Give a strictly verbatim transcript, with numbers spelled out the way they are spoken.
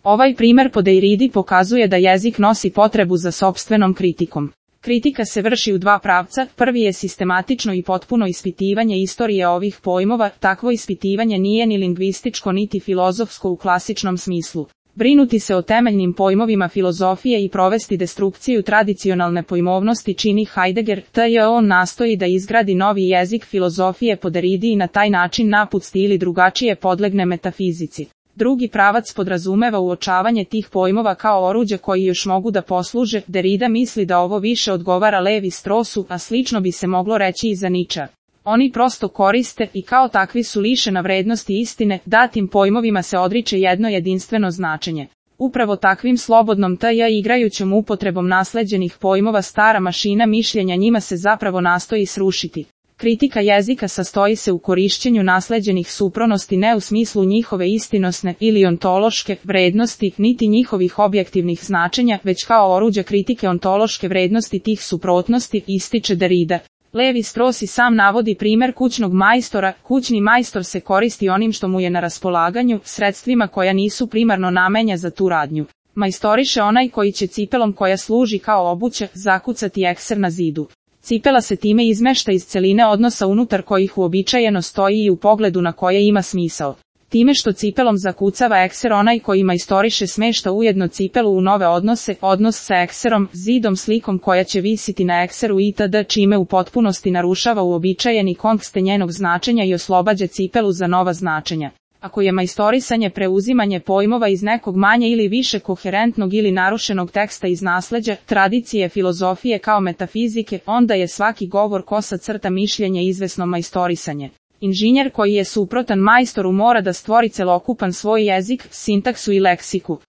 Ovaj primer po Derridi pokazuje da jezik nosi potrebu za sopstvenom kritikom. Kritika se vrši u dva pravca, prvi je sistematično i potpuno ispitivanje istorije ovih pojmova, takvo ispitivanje nije ni lingvističko niti filozofsko u klasičnom smislu. Brinuti se o temeljnim pojmovima filozofije i provesti destrukciju tradicionalne pojmovnosti čini Heidegger, te on nastoji da izgradi novi jezik filozofije po Derridi i na taj način napusti ili drugačije podlegne metafizici. Drugi pravac podrazumeva uočavanje tih pojmova kao oruđa koji još mogu da posluže. Derrida misli da ovo više odgovara Levi Strossu, a slično bi se moglo reći i za Nietzschea. Oni prosto koriste i kao takvi su lišena vrednosti istine, datim pojmovima se odriče jedno jedinstveno značenje. Upravo takvim slobodnom t j igrajućom upotrebom nasleđenih pojmova stara mašina mišljenja njima se zapravo nastoji srušiti. Kritika jezika sastoji se u korišćenju nasleđenih supronosti ne u smislu njihove istinosne ili ontološke vrednosti, niti njihovih objektivnih značenja, već kao oruđa kritike ontološke vrednosti tih suprotnosti, ističe Derrida. Levi Strauss i sam navodi primer kućnog majstora. Kućni majstor se koristi onim što mu je na raspolaganju, sredstvima koja nisu primarno namenja za tu radnju. Majstoriše onaj koji će cipelom koja služi kao obuća zakucati ekser na zidu. Cipela se time izmešta iz celine odnosa unutar kojih uobičajeno stoji i u pogledu na koje ima smisao. Time što cipelom zakucava ekser onaj koji majstoriše smešta ujedno cipelu u nove odnose, odnos sa ekserom, zidom, slikom koja će visiti na ekseru itd. Čime u potpunosti narušava uobičajeni kontekst njenog značenja i oslobađa cipelu za nova značenja. Ako je majstorisanje preuzimanje pojmova iz nekog manje ili više koherentnog ili narušenog teksta iz nasleđa, tradicije filozofije kao metafizike, onda je svaki govor kosa crta mišljenje izvesno majstorisanje. Inženjer koji je suprotan majstoru mora da stvori celokupan svoj jezik, sintaksu i leksiku.